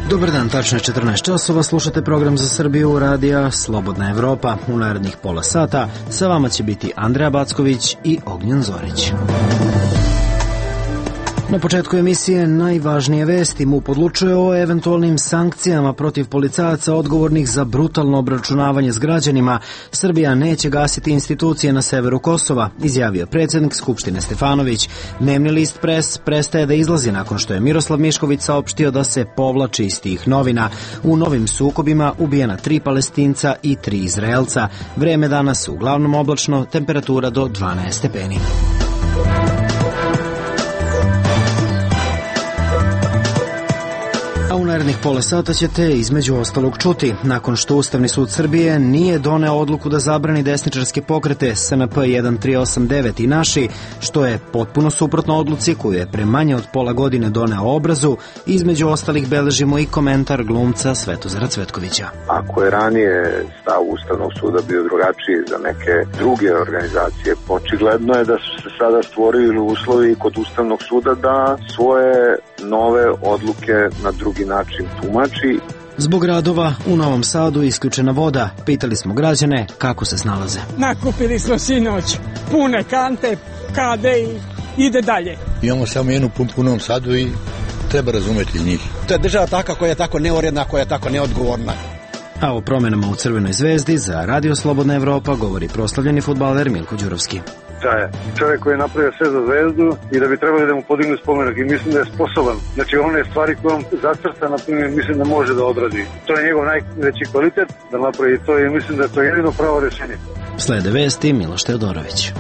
Dobar dan, tačno je 14 časova, slušate program za Srbiju radija Slobodna Evropa. U narednih pola sata sa vama će biti Andreja Backović i Ognjen Zorić. Na početku emisije najvažnije vesti. MUP odlučuje o eventualnim sankcijama protiv policajaca odgovornih za brutalno obračunavanje s građanima. Srbija neće gasiti institucije na severu Kosova, izjavio predsjednik Skupštine Stefanović. Dnevni list Pres prestaje da izlazi nakon što je Miroslav Mišković saopštio da se povlači iz tih novina. U novim sukobima ubijena 3 Palestinca i 3 Izraelca. Vreme danas uglavnom oblačno, temperatura do 12 stepeni. A u narednih pola sata ćete između ostalog čuti. Nakon što Ustavni sud Srbije nije doneo odluku da zabrani desničarske pokrete SNP 1389 i Naši, što je potpuno suprotno odluci koju je pre manje od pola godine doneo Obrazu, između ostalih beležimo i komentar glumca Svetozara Cvetkovića. Ako je ranije stav Ustavnog suda bio drugačiji za neke druge organizacije, očigledno je da su se sada stvorili uslovi kod Ustavnog suda da svoje nove odluke na drugi način tumači. Zbog radova u Novom Sadu isključena voda. Pitali smo građane kako se snalaze. Nakupili smo sinoć pune kante, kade i ide dalje. Imamo samo jednu pumpu u Novom Sadu i treba razumeti njih. To je država taka koja je tako neuredna, koja je tako neodgovorna. A o promjenama u Crvenoj zvezdi za Radio Slobodna Evropa govori proslavljeni fudbaler Milko Đurovski. Čovjek koji je napravio sve za Zvezdu i da bi trebali da mu podignu spomenak i mislim da je sposoban. Znači one stvari koje on zacrta, na primjer, mislim da može da odradi. To je njegov najveći kvalitet da napravi to i mislim da je to jedino pravo rješenje. Slede vesti Miloš Teodorović.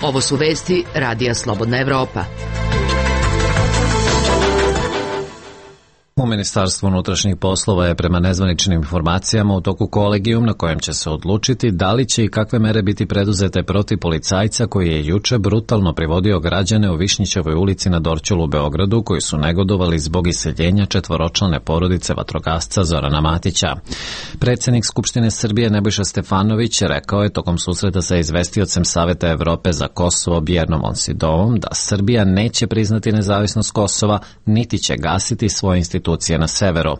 Ovo su vesti Radija Slobodna Evropa. U Ministarstvu unutrašnjih poslova je prema nezvaničnim informacijama u toku kolegijum na kojem će se odlučiti da li će i kakve mere biti preduzete protiv policajca koji je juče brutalno privodio građane u Višnjićevoj ulici na Dorćolu u Beogradu koji su negodovali zbog iseljenja 4-člane porodice vatrogasca Zorana Matića. Predsjednik Skupštine Srbije Nebojša Stefanović rekao je tokom susreta sa izvestiocem Saveta Evrope za Kosovo Bjernom Onsidovom da Srbija neće priznati nezavisnost Kosova niti će gasiti svoje institucije na severu.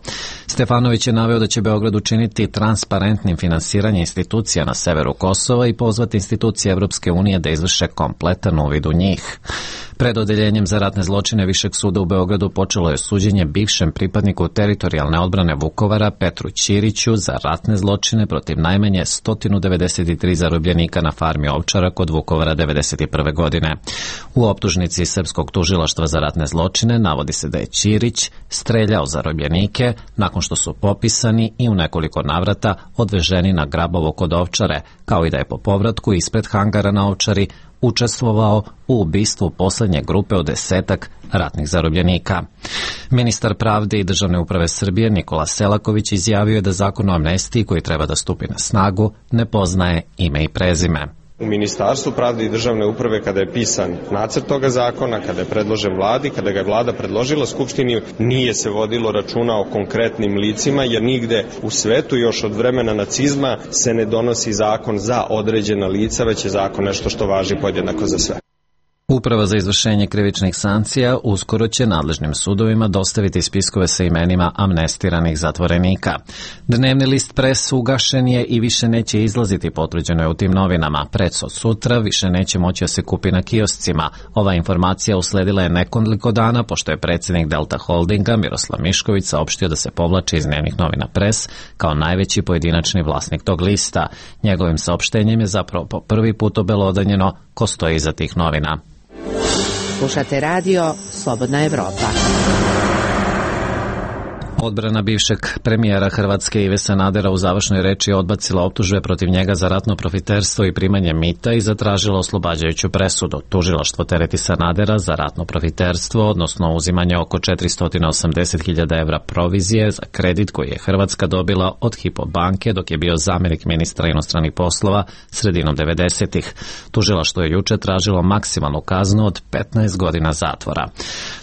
Stefanović je naveo da će Beograd učiniti transparentnim finansiranje institucija na severu Kosova i pozvati institucije Evropske unije da izvrše kompletan uvid u njih. Pred odeljenjem za ratne zločine Višeg suda u Beogradu počelo je suđenje bivšem pripadniku teritorijalne odbrane Vukovara Petru Ćiriću za ratne zločine protiv najmanje 193 zarobljenika na farmi Ovčara kod Vukovara 1991. godine. U optužnici Srpskog tužilaštva za ratne zločine navodi se da je Ćirić streljao zarobljenike nakon što su popisani i u nekoliko navrata odveženi na Grabovo kod Ovčare, kao i da je po povratku ispred hangara na Ovčari učestvovao u ubistvu poslednje grupe od 10-ak ratnih zarobljenika. Ministar pravde i državne uprave Srbije Nikola Selaković izjavio je da zakon o amnestiji koji treba da stupi na snagu ne poznaje ime i prezime. U Ministarstvu pravde i državne uprave kada je pisan nacrt toga zakona, kada je predložen vladi, kada ga je vlada predložila Skupštini, nije se vodilo računa o konkretnim licima, jer nigde u svetu još od vremena nacizma se ne donosi zakon za određena lica, već je zakon nešto što važi podjednako za sve. Uprava za izvršenje krivičnih sankcija uskoro će nadležnim sudovima dostaviti spiskove sa imenima amnestiranih zatvorenika. Dnevni list Pres ugašen je i više neće izlaziti, potvrđeno je u tim novinama. Pres od sutra više neće moći da se kupi na kioscima. Ova informacija usledila je nekoliko dana pošto je predsjednik Delta Holdinga Miroslav Mišković saopštio da se povlači iz dnevnih novina Pres kao najveći pojedinačni vlasnik tog lista. Njegovim saopštenjem je zapravo po prvi put obelodanjeno ko stoji iza tih novina. Slušate radio Slobodna Evropa. Odbrana bivšeg premijera Hrvatske Ive Sanadera u završnoj reči odbacila optužbe protiv njega za ratno profiterstvo i primanje mita i zatražila oslobađajuću presudu. Tužilaštvo tereti Sanadera za ratno profiterstvo, odnosno uzimanje oko 480.000 evra provizije za kredit koji je Hrvatska dobila od Hypo banke dok je bio zamjenik ministra inostranih poslova sredinom 90-ih. Tužilaštvo je juče tražilo maksimalnu kaznu od 15 godina zatvora.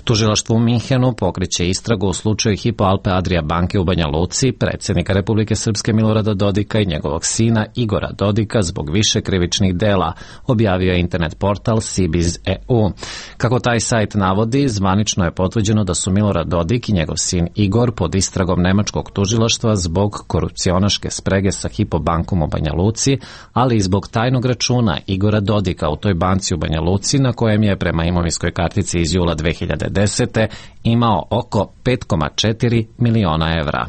Tužilaštvo u Minhenu pokreće istragu u slučaju Hypo Alpe grupe Adria banke u Banja Luci, predsjednika Republike Srpske Milorada Dodika i njegovog sina Igora Dodika zbog više krivičnih dela, objavio je internet portal Sibiz.eu. Kako taj sajt navodi, zvanično je potvrđeno da su Milorad Dodik i njegov sin Igor pod istragom nemačkog tužilaštva zbog korupcionaške sprege sa Hypo bankom u Banja Luci, ali i zbog tajnog računa Igora Dodika u toj banci u Banja Luci, na kojem je prema imovinskoj kartici iz jula 2010. imao oko 5,4 miliona evra.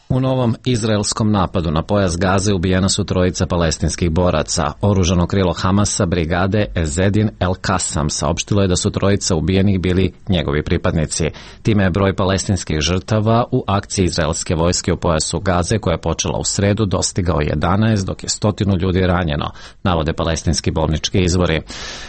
U novom izraelskom napadu na pojas Gaze ubijena su trojica palestinskih boraca. Oružano krilo Hamasa brigade Ezedin El Kasam saopštilo je da su trojica ubijenih bili njegovi pripadnici. Time je broj palestinskih žrtava u akciji izraelske vojske u pojasu Gaze, koja je počela u sredu, dostigao 11, dok je 100 ljudi ranjeno, navode palestinski bolnički izvori.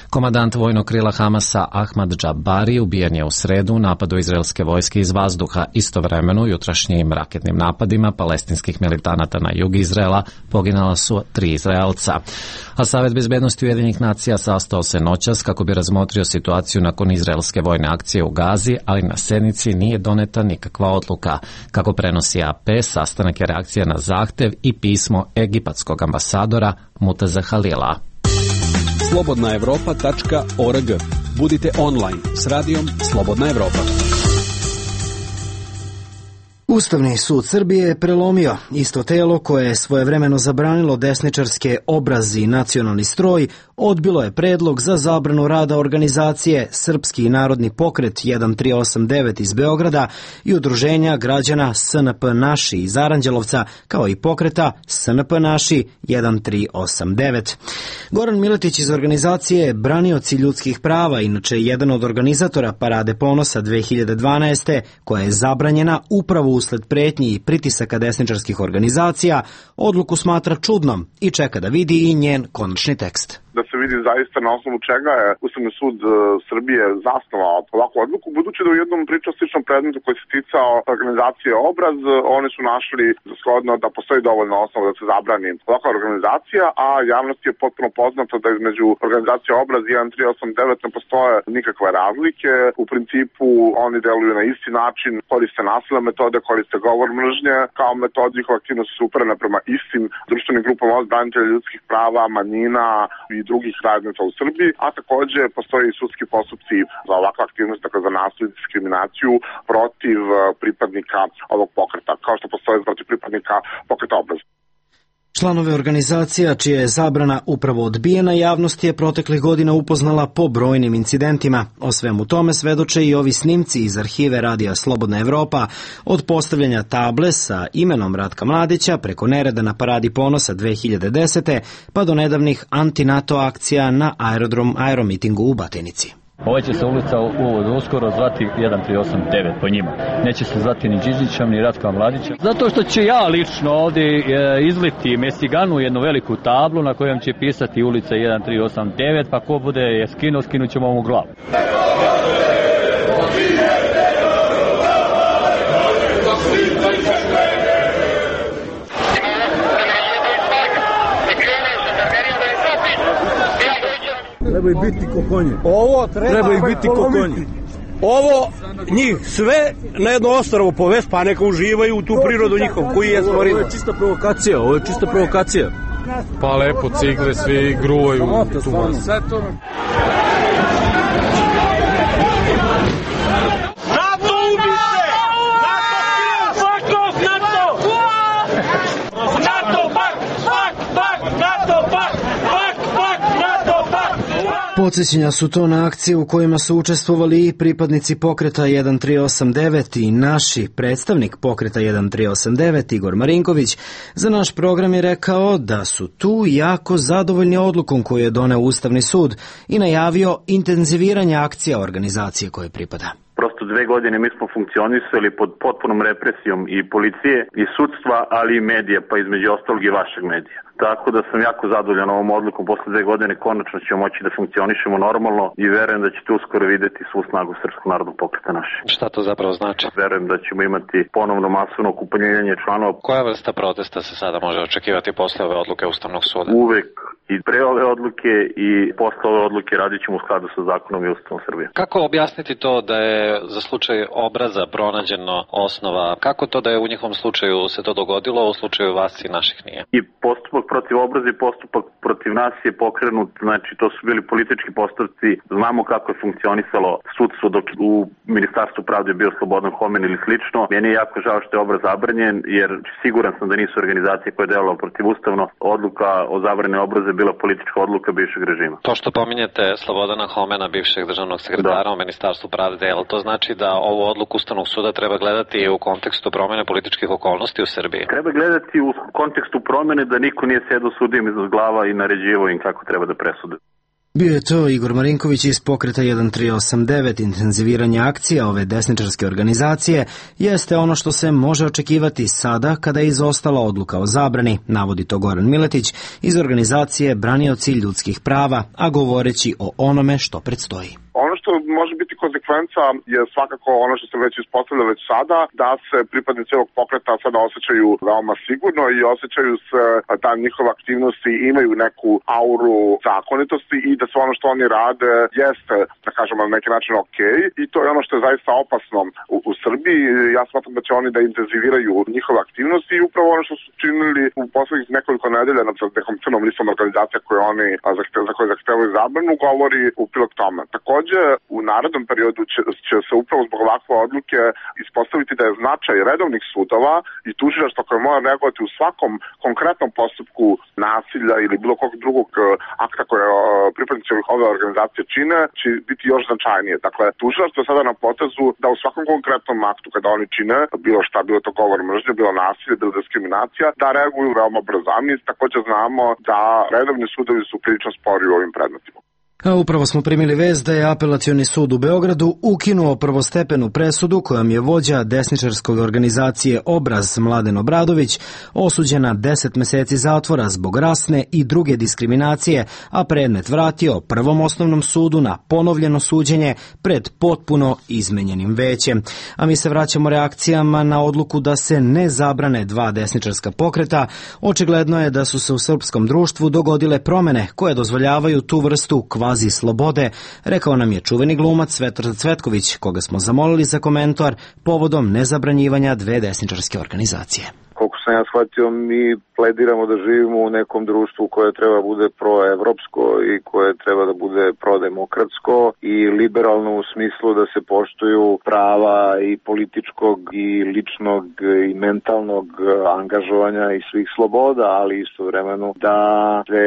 Komandant vojnog krila Hamasa Ahmad Džabari ubijen je u sredu u napadu izraelske vojske iz vazduha. Istovremeno jutrašnjim raketnim napadima palestinskih militanata na jug Izraela poginala su 3 Izraelca. A Savet bezbednosti Ujedinjenih nacija sastao se noćas kako bi razmotrio situaciju nakon izraelske vojne akcije u Gazi, ali na sednici nije doneta nikakva odluka. Kako prenosi AP, sastanak je reakcija na zahtev i pismo egipatskog ambasadora Mutaza Halila. slobodnaevropa.org. Budite online s radijom Slobodna Evropa. Ustavni sud Srbije je prelomio. Isto telo koje je svojevremeno zabranilo desničarske Obraz i Nacionalni stroj odbilo je predlog za zabranu rada organizacije Srpski narodni pokret 1389 iz Beograda i udruženja građana SNP Naši iz Aranđelovca, kao i pokreta SNP Naši 1389. Goran Miletić iz organizacije Branioci ljudskih prava, inače jedan od organizatora Parade ponosa 2012. koja je zabranjena upravo usled pretnji i pritisaka desničarskih organizacija, odluku smatra čudnom i čeka da vidi i njen konačni tekst. Da se vidi zaista na osnovu čega je Ustavni sud Srbije zasnovao ovakvu odluku, budući da u jednom pričastičnom predmetu koji se ticao organizacije Obraz, oni su našli za shodno da postoji dovoljno osnova da se zabrani ovakva organizacija, a javnost je potpuno poznata da između organizacije Obraz i 1389 ne postoje nikakve razlike. U principu oni deluju na isti način, koriste nasilne metode, koriste govor mržnje, kao metod njihove aktivnosti su uperene prema istim društvenim grupama od branitelja ljudskih prava, manjina i drugih zajednica u Srbiji, a takođe postoje i sudski postupci za ovakve aktivnosti, dakle za nasilje i diskriminaciju protiv pripadnika ovog pokreta, kao što postoje protiv pripadnika pokreta Obraz. Članove organizacija čija je zabrana upravo odbijena, javnost je proteklih godina upoznala po brojnim incidentima. O svemu tome svedoče i ovi snimci iz arhive Radija Slobodna Evropa, od postavljanja table sa imenom Ratka Mladića preko nereda na Paradi ponosa 2010. pa do nedavnih anti-NATO akcija na aeromitingu u Batinici. Ova će se ulica uskoro zvati 1389 po njima. Neće se zvati ni Đižićem, ni Ratka Mladića. Zato što će ja lično ovdje izliti Mestiganu, jednu veliku tablu na kojom će pisati ulica 1389, pa ko bude je skinuo, skinut ćemo mu glavu. Treba ih biti ko konji. Ovo treba ih biti ko konji. Ovo njih sve na jedno ostrvo povest, pa neka uživaju u tu prirodu njihov koji je stvorio. Ovo je čista provokacija, ovo je čista provokacija. Pa lepo cigle, svi gruvaju tu masu. Sve to... NATO ubice! NATO svakog NATO! NATO pak! NATO pak! Podsjećanja su to na akcije u kojima su učestvovali i pripadnici pokreta 1389 i naši predstavnik pokreta 1389 Igor Marinković za naš program je rekao da su tu jako zadovoljni odlukom koju je doneo Ustavni sud i najavio intenziviranje akcija organizacije koje pripada. Prosto 2 godine mi smo funkcionisali pod potpunom represijom i policije i sudstva, ali i medija, pa između ostalog i vašeg medija. Tako da sam jako zadovoljan ovom odlukom. Posle 2 godine konačno ćemo moći da funkcionišemo normalno i verujem da ćete uskoro videti svu snagu Srpskog narodnog pokreta naše. Šta to zapravo znači? Verujem da ćemo imati ponovno masovno okupljenje članova. Koja vrsta protesta se sada može očekivati posle ove odluke Ustavnog suda? Uvek I pre ove odluke i posle ove odluke radit ćemo u skladu sa zakonom i Ustavom Srbije. Kako objasniti to da je za slučaj Obraza pronađeno osnova? Kako to da je u njihovom slučaju se to dogodilo, a u slučaju vas i naših nije? I postupak protiv Obraza i postupak protiv nas je pokrenut, znači to su bili politički postupci, znamo kako je funkcionisalo sudstvo dok u Ministarstvu pravde je bio Slobodan Homen ili slično. Meni je jako žao što je Obraz zabranjen, jer siguran sam da nisu organizacije koje je delovalo protivustavno. Odluka o zabrani Obraza je bila politička odluka bivšeg režima. To što pominjete Slobodana Homena, bivšeg državnog sekretara u Ministarstvu pravde, jel to znači da ovu odluku Ustavnog suda treba gledati u kontekstu promene političkih okolnosti u Srbiji? Treba gledati u kontekstu promene da niko nije sedao sudijom iznad glava i naređivao im kako treba da presude. Bio je to Igor Marinković iz pokreta 1389. Intenziviranje akcija ove desničarske organizacije jeste ono što se može očekivati sada kada je izostala odluka o zabrani, navodi to Goran Miletić iz organizacije Branioci ljudskih prava, a govoreći o onome što predstoji. Ono što može biti konsekvenca je svakako ono što se već ispostavlja već sada, da se pripadnici ovog pokreta sada osjećaju veoma sigurno i osjećaju se da njihove aktivnosti imaju neku auru zakonitosti i da sve ono što oni rade jeste, da kažemo, na neki način okej. I to je ono što je zaista opasno u Srbiji. Ja smatram da će oni da intenziviraju njihove aktivnosti i upravo ono što su činili u poslednjih nekoliko nedelja nad nekom crnom listom organizacija za koje zahtevaju zabranu govori u prilog tome. Takođe, u narednom periodu će se upravo zbog ovakve odluke ispostaviti da je značaj redovnih sudova i tužilaštva koje mora reagovati u svakom konkretnom postupku nasilja ili bilo kog drugog akta koje pripadnici ove organizacije čine, će biti još značajnije. Dakle, tužilaštvo je sada na potezu da u svakom konkretnom aktu kada oni čine, bilo šta, bilo to govor mržnje, bilo nasilje, bilo diskriminacija, da reaguju veoma brzo. A mi također znamo da redovni sudovi su prilično spori u ovim predmetima. A upravo smo primili vest da je Apelacioni sud u Beogradu ukinuo prvostepenu presudu kojom je vođa desničarske organizacije Obraz Mladen Obradović osuđena 10 meseci zatvora zbog rasne i druge diskriminacije, a predmet vratio Prvom osnovnom sudu na ponovljeno suđenje pred potpuno izmenjenim većem. A mi se vraćamo reakcijama na odluku da se ne zabrane dva desničarska pokreta. Očigledno je da su se u srpskom društvu dogodile promene koje dozvoljavaju tu vrstu kvazi slobode, rekao nam je čuveni glumac Svetar Cvetković, koga smo zamolili za komentar povodom nezabranjivanja dve desničarske organizacije. Koliko sam ja shvatio, mi plediramo da živimo u nekom društvu koje treba bude proevropsko i koje treba da bude prodemokratsko i liberalno u smislu da se poštuju prava i političkog i ličnog i mentalnog angažovanja i svih sloboda, ali istovremeno da se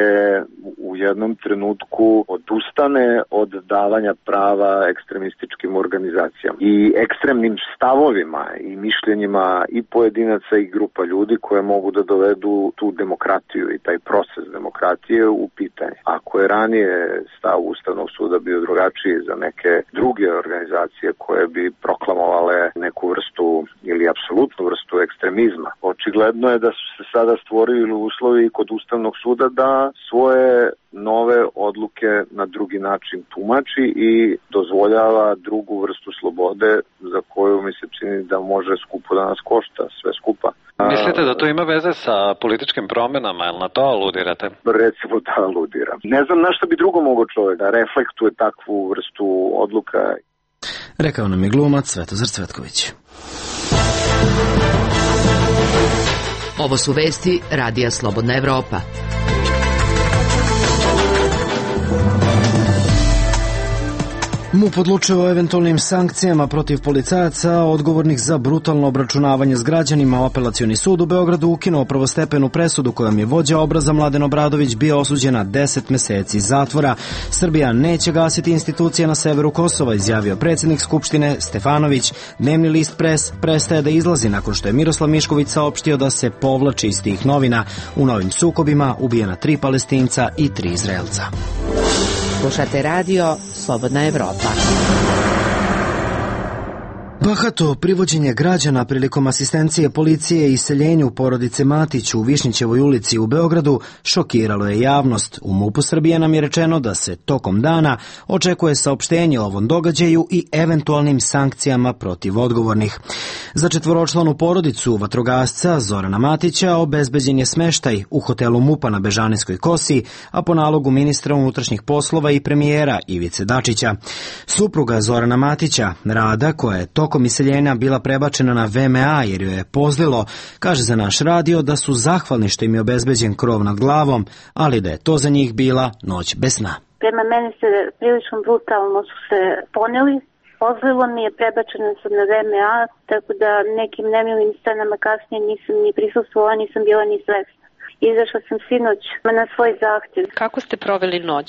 u jednom trenutku odustane od davanja prava ekstremističkim organizacijama i ekstremnim stavovima i mišljenjima i pojedinaca i grupa ljudi koje mogu da dovedu tu demokratiju i taj proces demokratije u pitanje. Ako je ranije stav Ustavnog suda bio drugačiji za neke druge organizacije koje bi proklamovale neku vrstu ili apsolutnu vrstu ekstremizma, očigledno je da su se sada stvorili uslovi kod Ustavnog suda da svoje nove odluke na drugi način tumači i dozvoljava drugu vrstu slobode za koju mi se čini da može skupo da nas košta sve skupa. Mislite da to ima veze sa političkim promenama, ili na to aludirate? Recimo da aludiram. Ne znam na što bi drugo mogao čovjek da reflektuje takvu vrstu odluka. Rekao nam je glumac Svetozar Cvetković. Ovo su vesti Radija Slobodna Evropa. MUP odlučuje o eventualnim sankcijama protiv policajaca odgovornih za brutalno obračunavanje s građanima. Apelacioni sud u Beogradu ukinuo prvostepenu presudu kojom je vođa Obraza Mladen Obradović bio osuđen na 10 meseci zatvora. Srbija neće gasiti institucije na severu Kosova, izjavio predsjednik Skupštine Stefanović. Dnevni list Pres prestaje da izlazi nakon što je Miroslav Mišković saopštio da se povlači iz tih novina. U novim sukobima ubijena 3 Palestinca i 3 Izraelca. Slušate radio Slobodna Evropa. Bahato privođenje građana prilikom asistencije policije i iseljenju porodice Matić u Višnjićevoj ulici u Beogradu šokiralo je javnost. U MUP-u Srbije nam je rečeno da se tokom dana očekuje saopštenje o ovom događaju i eventualnim sankcijama protiv odgovornih. Za četvoročlanu porodicu vatrogasca Zorana Matića obezbeđen je smeštaj u hotelu MUP-a na Bežanijskoj kosi, a po nalogu ministra unutrašnjih poslova i premijera Ivice Dačića. Supruga Zorana Matića, Rada, koja je tokom iseljenja bila prebačena na VMA jer joj je pozlilo, kaže za naš radio da su zahvalni što im je obezbeđen krov nad glavom, ali da je to za njih bila noć bez sna. Prema meni se prilično brutalno su se poneli. Pozlilo mi je, prebačena sam na VMA, tako da nekim nemilim scenama kasnije nisam ni prisustvovala, nisam bila ni svesna. Izašla sam sinoć na svoj zahtjev. Kako ste proveli noć?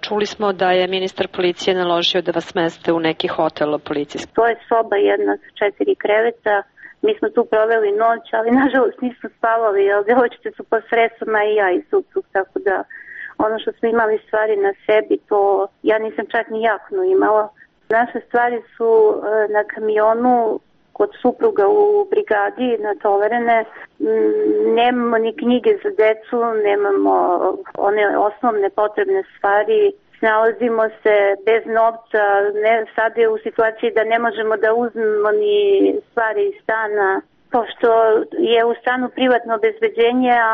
Čuli smo da je ministar policije naložio da vas smeste u neki hotel policijski. To je soba jedna sa 4 kreveta. Mi smo tu proveli noć, ali nažalost nismo spavali, jer djevojčice su pod stresama i ja i suprug, tako da ono što smo imali stvari na sebi, to ja nisam čak ni jaknu imala. Naše stvari su na kamionu kod supruga u brigadi natovarene. Nemamo ni knjige za decu, nemamo one osnovne potrebne stvari. Nalazimo se bez novca, sad je u situaciji da ne možemo da uzmemo ni stvari iz stana, pošto je u stanu privatno obezbeđenje, a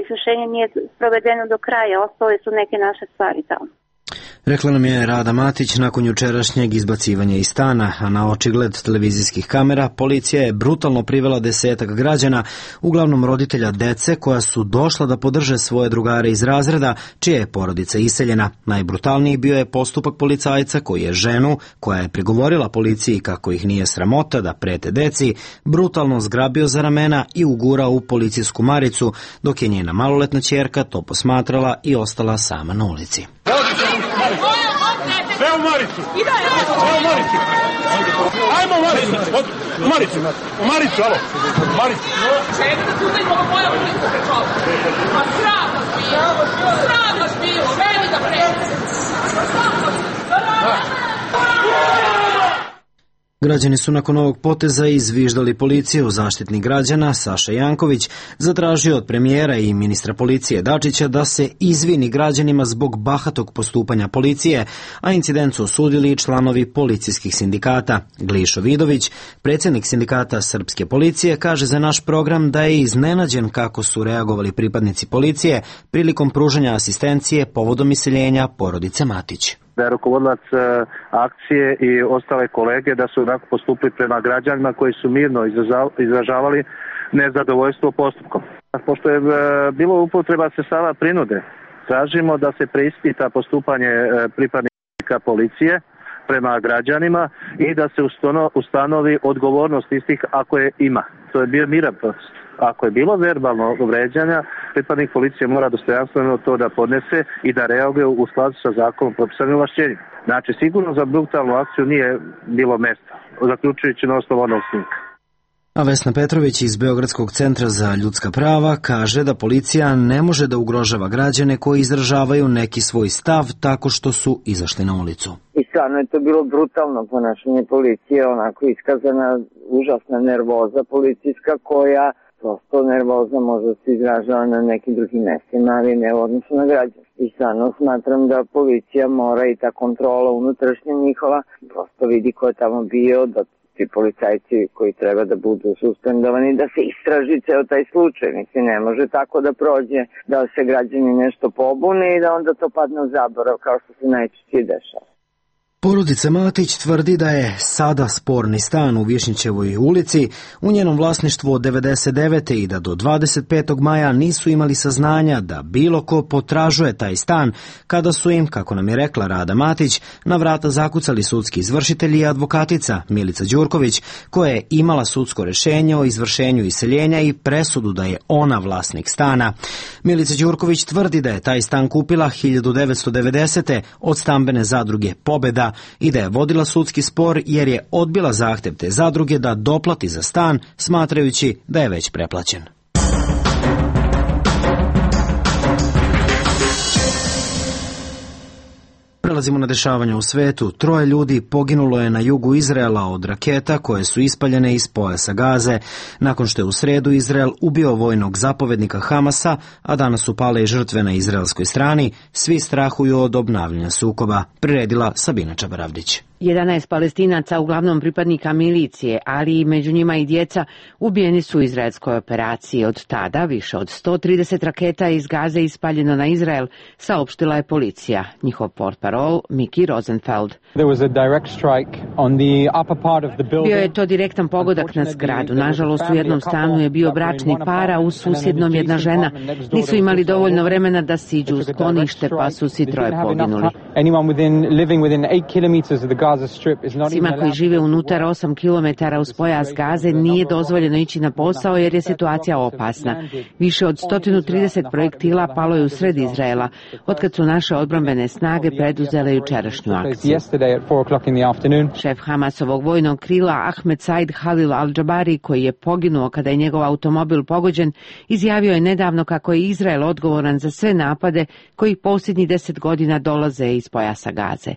izvršenje nije provedeno do kraja, ostale su neke naše stvari tamo. Rekla nam je Rada Matić nakon jučerašnjeg izbacivanja iz stana, a na očigled televizijskih kamera policija je brutalno privela 10 građana, uglavnom roditelja dece koja su došla da podrže svoje drugare iz razreda, čija je porodica iseljena. Najbrutalniji bio je postupak policajca koji je ženu, koja je prigovorila policiji kako ih nije sramota da prete deci, brutalno zgrabio za ramena i ugurao u policijsku maricu, dok je njena maloletna ćerka to posmatrala i ostala sama na ulici. Sve u Maricu! Sve u Maricu! Ajmo u Maricu! U Maricu! U Maricu, alo! U Maricu! Čekaj da tu da imamo moja ulica pre čovjek! A sram vas bilo! Sram vas bilo! Meni da prete! Sram vas bilo! Građani su nakon ovog poteza izviždali policiju. Zaštitnik građana Saša Janković zatražio od premijera i ministra policije Dačića da se izvini građanima zbog bahatog postupanja policije, a incident su osudili i članovi policijskih sindikata. Glišo Vidović, predsjednik sindikata Srpske policije, kaže za naš program da je iznenađen kako su reagovali pripadnici policije prilikom pružanja asistencije povodom iseljenja porodice Matić. Da je rukovodilac akcije i ostale kolege da su onako postupili prema građanima koji su mirno izražavali nezadovoljstvo postupkom. Pošto je bilo upotreba sredstava prinude, tražimo da se preispita postupanje pripadnika policije prema građanima i da se ustanovi odgovornost istih ako je ima. To je bio miran proces. Ako je bilo verbalno vređanja, pripadnik policije mora dostojanstveno to da podnese i da reaguje u skladu sa zakonom propisanim ovlašćenjima. Znači, sigurno za brutalnu akciju nije bilo mesta, zaključujući na osnovu onog snimka. A Vesna Petrović iz Beogradskog centra za ljudska prava kaže da policija ne može da ugrožava građane koji izražavaju neki svoj stav tako što su izašli na ulicu. I stvarno je to bilo brutalno ponašanje policije, onako iskazana užasna nervoza policijska koja prosto nervoza možda se izražava na nekim drugim mestima, ali ne u odnosu na građane. I stvarno smatram da policija mora i ta kontrola unutrašnja njihova prosto vidi ko je tamo bio, da ti policajci koji treba da budu suspendovani, da se istraži ceo taj slučaj. Mislim, ne može tako da prođe, da se građani nešto pobune i da onda to padne u zaborav, kao što se najčešće dešava. Porodica Matić tvrdi da je sada sporni stan u Višnjićevoj ulici u njenom vlasništvu od 99. i da do 25. maja nisu imali saznanja da bilo ko potražuje taj stan, kada su im, kako nam je rekla Rada Matić, na vrata zakucali sudski izvršitelji i advokatica Milica Đurković, koja je imala sudsko rešenje o izvršenju iseljenja i presudu da je ona vlasnik stana. Milica Đurković tvrdi da je taj stan kupila 1990. od stambene zadruge Pobeda i da je vodila sudski spor jer je odbila zahtev te zadruge da doplati za stan, smatrajući da je već preplaćen. Prelazimo na dešavanja u svetu. 3 ljudi poginulo je na jugu Izraela od raketa koje su ispaljene iz pojasa Gaze. Nakon što je u sredu Izrael ubio vojnog zapovednika Hamasa, a danas su pale i žrtve na izraelskoj strani, svi strahuju od obnavljanja sukoba. Priredila Sabina Čabaravdić. 11 Palestinaca, uglavnom pripadnika milicije, ali i među njima i djeca, ubijeni su u izraelskoj operaciji. Od tada više od 130 raketa iz Gaze ispaljeno na Izrael, saopštila je policija. Njihov portparol Miki Rosenfeld. Bio je to direktan pogodak na zgradu. Nažalost, u jednom stanu je bio bračni par, a u susjednom jedna žena. Nisu imali dovoljno vremena da siđu u sklonište, pa su svi 3 poginuli. Svima koji žive unutar 8 km uz pojas Gaze nije dozvoljeno ići na posao jer je situacija opasna. Više od 130 projektila palo je u sred Izraela, otkad su naše odbrambene snage preduzele jučerašnju akciju. Šef Hamasovog vojnog krila Ahmed Said Halil al-Jabari, koji je poginuo kada je njegov automobil pogođen, izjavio je nedavno kako je Izrael odgovoran za sve napade koji posljednjih 10 godina dolaze iz pojasa Gaze.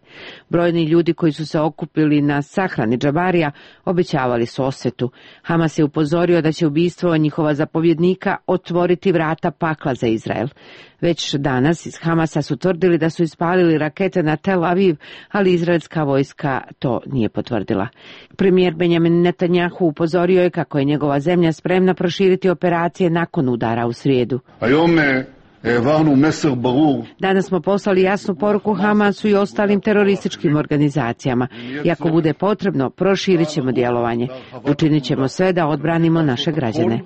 Brojni ljudi koji su se okupili na sahrani Džabarija obećavali su osvetu. Hamas je upozorio da će ubistvo njihova zapovjednika otvoriti vrata pakla za Izrael. Već danas iz Hamasa su tvrdili da su ispalili rakete na Tel Aviv, ali izraelska vojska to nije potvrdila. Premijer Benjamin Netanjahu upozorio je kako je njegova zemlja spremna proširiti operacije nakon udara u srijedu. Danas smo poslali jasnu poruku Hamasu i ostalim terorističkim organizacijama. I ako bude potrebno, proširit ćemo djelovanje. Učinit ćemo sve da odbranimo naše građane.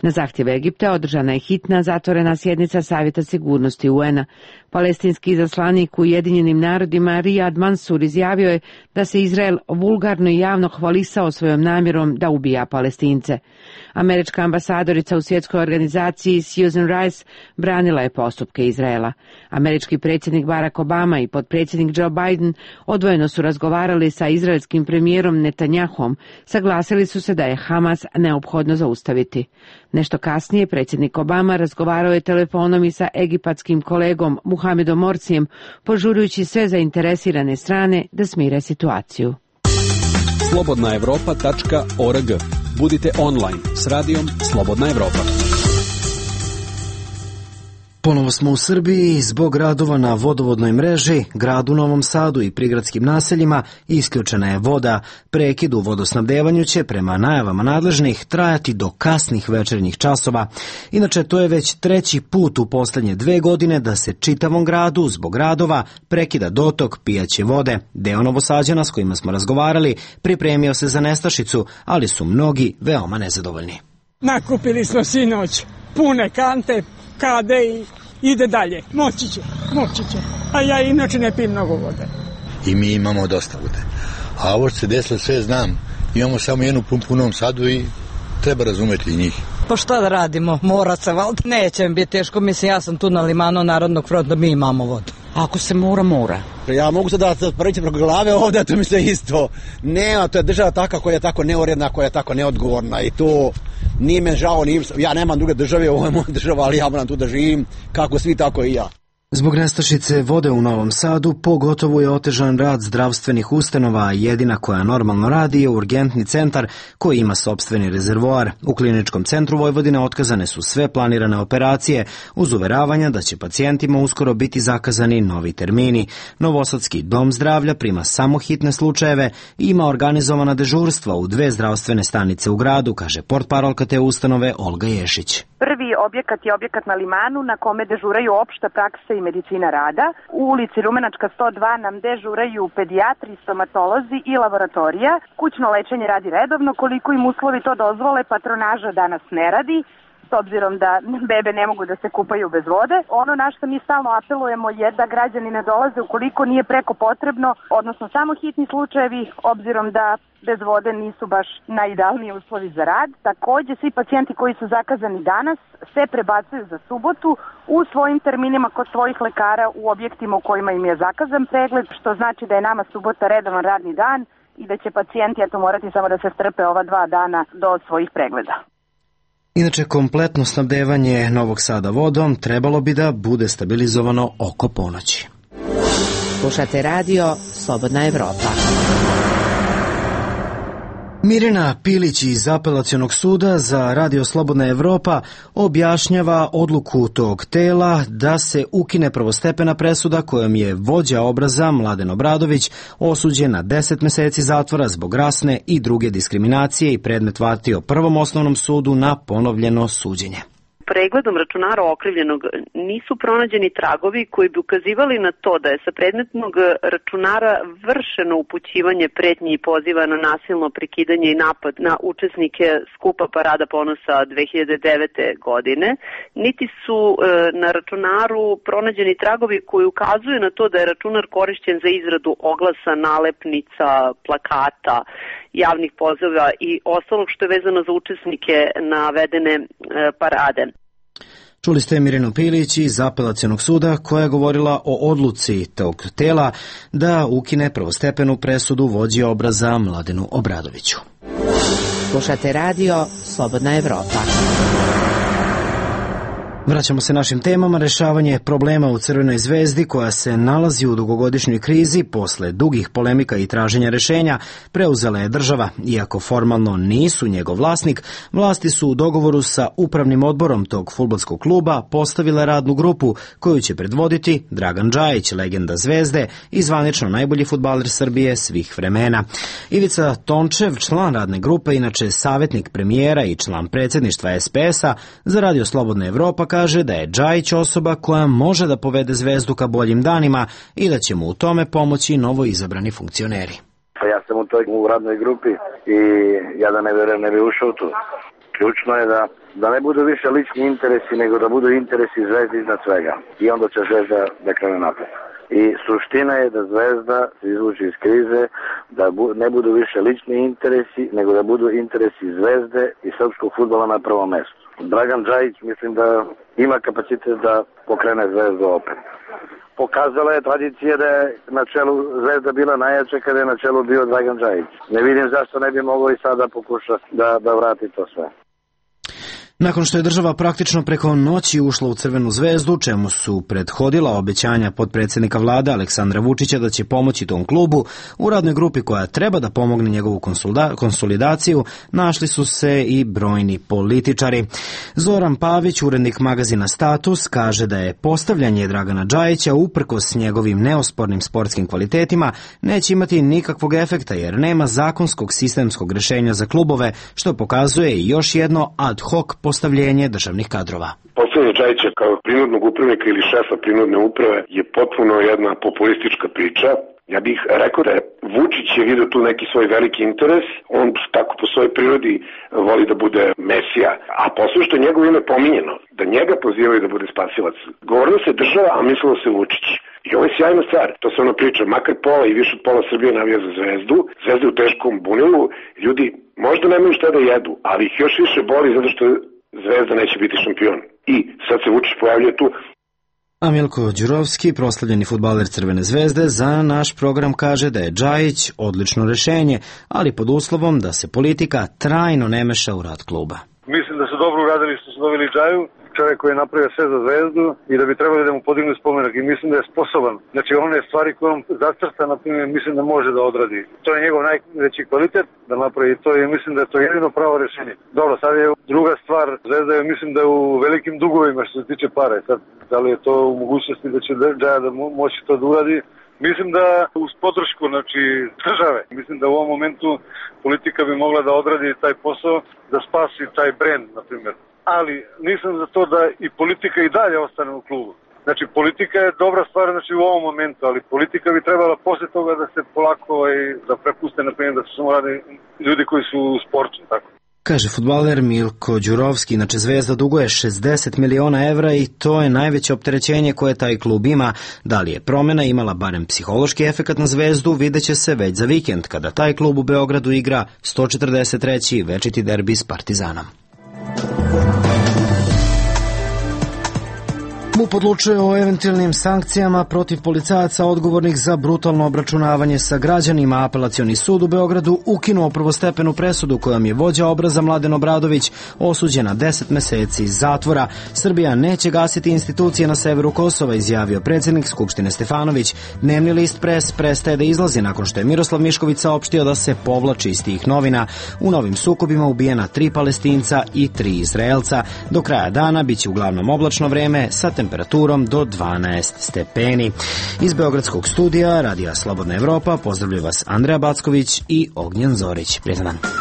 Na zahtjev Egipta održana je hitna zatvorena sjednica Savjeta sigurnosti UN-a. Palestinski izaslanik u Ujedinjenim narodima Riyad Mansur izjavio je da se Izrael vulgarno i javno hvalisao svojom namjerom da ubija Palestince. Američka ambasadorica u svjetskoj organizaciji Susan Rice branila je postupke Izraela. Američki predsjednik Barack Obama i potpredsjednik Joe Biden odvojeno su razgovarali sa izraelskim premijerom Netanyahom, saglasili su se da je Hamas neophodno zaustaviti. Nešto kasnije predsjednik Obama razgovarao je telefonom i sa egipatskim kolegom Muhamedom Morsijem, požurujući sve zainteresirane strane da smire situaciju. slobodnaevropa.org. Budite online s radijom Slobodna Evropa. Ponovo smo u Srbiji. Zbog radova na vodovodnoj mreži, gradu Novom Sadu i prigradskim naseljima isključena je voda. Prekid u vodosnabdevanju će, prema najavama nadležnih, trajati do kasnih večernjih časova. Inače, to je već 3. put u posljednje 2 godine da se čitavom gradu zbog radova prekida dotok pijaće vode. Deo Novosađana s kojima smo razgovarali pripremio se za nestašicu, ali su mnogi veoma nezadovoljni. Nakupili smo sinoć pune kante, kade i ide dalje. Moći će. A ja inače ne pijem mnogo vode. I mi imamo dosta vode. A ovo što se desilo sve znam. Imamo samo jednu pumpu u Novom Sadu i treba razumeti njih. Pa šta da radimo? Mora se, valjda neće mi biti teško. Mislim, ja sam tu na limanu Narodnog fronta, mi imamo vodu. Ako se mora. Ja mogu sada da prvići preko glave ovdje, to mi se isto. Ne, to je država taka koja je tako neuredna, koja je tako neodgovorna i to nije me žao, ja nemam druge države, ovo je moja država, ali ja moram tu da živim, kako svi, tako i ja. Zbog nestašice vode u Novom Sadu pogotovo je otežan rad zdravstvenih ustanova, a jedina koja normalno radi je urgentni centar koji ima sopstveni rezervoar. U Kliničkom centru Vojvodine otkazane su sve planirane operacije uz uveravanja da će pacijentima uskoro biti zakazani novi termini. Novosadski dom zdravlja prima samo hitne slučajeve i ima organizovana dežurstva u 2 zdravstvene stanice u gradu, kaže portparolka te ustanove Olga Ješić. Prvi objekat je objekat na Limanu na kome dežuraju opšta praksa i medicina rada. U ulici Rumenačka 102 nam dežuraju pedijatri, stomatolozi i laboratorija. Kućno lečenje radi redovno, koliko im uslovi to dozvole, patronaža danas ne radi, s obzirom da bebe ne mogu da se kupaju bez vode. Ono na što mi stalno apelujemo je da građani ne dolaze ukoliko nije preko potrebno, odnosno samo hitni slučajevi, obzirom da bez vode nisu baš najidealniji uslovi za rad. Također, svi pacijenti koji su zakazani danas se prebacuju za subotu u svojim terminima kod svojih lekara u objektima u kojima im je zakazan pregled, što znači da je nama subota redovan radni dan i da će pacijenti morati samo da se strpe ova 2 dana do svojih pregleda. Inače, kompletno snabdevanje Novog Sada vodom trebalo bi da bude stabilizovano oko ponoći. Slušate radio Slobodna Evropa. Mirjana Pilić iz Apelacionog suda za Radio Slobodna Evropa objašnjava odluku tog tela da se ukine prvostepena presuda kojom je vođa obraza Mladen Obradović osuđen na 10 meseci zatvora zbog rasne i druge diskriminacije i predmet vratio Prvom osnovnom sudu na ponovljeno suđenje. Pregledom računara okrivljenog nisu pronađeni tragovi koji bi ukazivali na to da je sa predmetnog računara vršeno upućivanje pretnji i poziva na nasilno prekidanje i napad na učesnike skupa Parada ponosa 2009. godine, niti su na računaru pronađeni tragovi koji ukazuju na to da je računar korišćen za izradu oglasa, nalepnica, plakata, javnih poziva i ostalog što je vezano za učesnike navedene parade. Čuli ste Mirjanu Pilić iz Apelacionog suda koja je govorila o odluci tog tela da ukine prvostepenu presudu vođi obraza Mladenu Obradoviću. Slušate radio Slobodna Evropa. Vraćamo se našim temama. Rešavanje problema u Crvenoj zvezdi koja se nalazi u dugogodišnjoj krizi posle dugih polemika i traženja rešenja preuzela je država. Iako formalno nisu njegov vlasnik, vlasti su u dogovoru sa upravnim odborom tog fudbalskog kluba postavile radnu grupu koju će predvoditi Dragan Džajić, legenda Zvezde i zvanično najbolji fudbaler Srbije svih vremena. Ivica Tončev, član radne grupe, inače savjetnik premijera i član predsjedništva SPS-a za Radio Slobodna Evropa, kaže da je Džajić osoba koja može da povede Zvezdu ka boljim danima i da će mu u tome pomoći novo izabrani funkcioneri. Ja sam u radnoj grupi i ja da ne verujem ne bi ušao tu. Ključno je da ne budu više lični interesi, nego da budu interesi Zvezde iznad svega. I onda će Zvezda da krene napred. I suština je da Zvezda se izvuči iz krize, da ne budu više lični interesi, nego da budu interesi Zvezde i srpskog fudbala na prvom mestu. Dragan Džajić mislim da ima kapacitet da pokrene Zvezdu opet. Pokazala je tradicija da je na čelu Zvezda bila najjača kada je na čelu bio Dragan Džajić. Ne vidim zašto ne bi mogao i sada pokuša da vrati to sve. Nakon što je država praktično preko noći ušla u Crvenu zvezdu, čemu su prethodila obećanja potpredsjednika vlade Aleksandra Vučića da će pomoći tom klubu, u radnoj grupi koja treba da pomogne njegovu konsolidaciju našli su se i brojni političari. Zoran Pavić, urednik magazina Status, kaže da je postavljanje Dragana Džajića uprkos njegovim neospornim sportskim kvalitetima neće imati nikakvog efekta jer nema zakonskog sistemskog rešenja za klubove, što pokazuje još jedno ad hoc postavljenje državnih kadrova. Postavljanje Džajića kao prinudnog upravnika ili šefa prinudne uprave je potpuno jedna populistička priča. Ja bih rekao da je Vučić je vidio tu neki svoj veliki interes, on tako po svojoj prirodi voli da bude mesija, a posle što je njegovo ime pominjeno, da njega pozivaju da bude spasilac. Govorilo se država, a mislilo se Vučić. I ovo je sjajna stvar, to se ono priča, makar pola i više od pola Srbije navija za Zvezdu, Zvezda je u teškom bunilu, ljudi možda nemaju šta da jedu, ali ih još više boli zato što Zvezda neće biti šampion. I sad se Vučić pojavljuje tu. A Milko Đurovski, proslavljeni fudbaler Crvene zvezde, za naš program kaže da je Džajić odlično rešenje, ali pod uslovom da se politika trajno ne meša u rad kluba. Mislim da su dobro uradili što su doveli Džaju, čovjek koji je napravio sve za Zvezdu i da bi trebali da mu podignu spomenak i mislim da je sposoban. Znači one stvari koje on zacrta, na primjer, mislim da može da odradi. To je njegov najveći kvalitet da napravi to i mislim da je to jedino pravo rešenje. Dobro, sad je druga stvar, Zvezda je mislim da je u velikim dugovima što se tiče para. Sad, da li je to u mogućnosti da će Džaja da moći to da uradi? Mislim da uz podršku države, mislim da u ovom momentu politika bi mogla da odradi taj posao, da spasi taj brend, na primjer. Ali nisam za to da i politika i dalje ostane u klubu. Znači, politika je dobra stvar u ovom momentu, ali politika bi trebala posle toga da se polako da prepuste, na primjer, da su samo radi ljudi koji su u sportu, tako. Kaže fudbaler Milko Đurovski, inače Zvezda duguje 60 miliona evra i to je najveće opterećenje koje taj klub ima. Da li je promjena imala barem psihološki efekat na Zvezdu, vidjet će se već za vikend, kada taj klub u Beogradu igra 143. večiti derbi s Partizanom. MUP odlučuje o eventualnim sankcijama protiv policajaca odgovornih za brutalno obračunavanje sa građanima. Apelacioni sud u Beogradu ukinuo prvostepenu presudu kojom je vođa obraza Mladen Obradović osuđen na 10 meseci zatvora. Srbija neće gasiti institucije na severu Kosova, izjavio predsjednik Skupštine Stefanović. Dnevni list Pres prestaje da izlazi nakon što je Miroslav Mišković saopštio da se povlači iz tih novina. U novim sukobima ubijena 3 Palestinca i 3 Izraelca. Do kraja dana biće uglavnom oblačno vreme sa temperaturom do 12 stepeni. Iz Beogradskog studija Radija Slobodna Evropa pozdravljaju vas Andreja Backović i Ognjen Zorić. Prijetan dan.